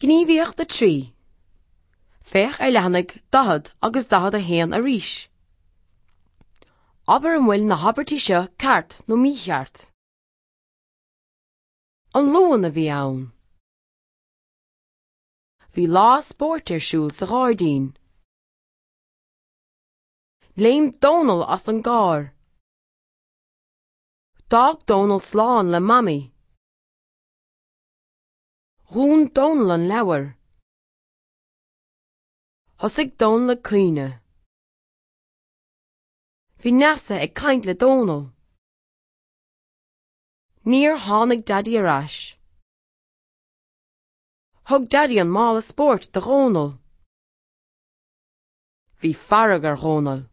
Gníomhaíocht 3. Féach ar leathanaigh 40 agus 41 arís. Abair an bhfuil na habairtí seo ceart nó mícheart. An Luan a bhí ann. Bhí lá spóirt ar siúl sa ghairdín. Léim Dónal as an gcarr. D'fhág Dónal slán le Mamaí. Dhún Dónal an leabhar. Thosaigh Dónal ag caoineadh. Bhí Neasa ag caint le Dónal. Níor tháinig Daidí ar ais. Thug Daidí an mála spóirt do Dhónal. Bhí fearg ar Dhónal.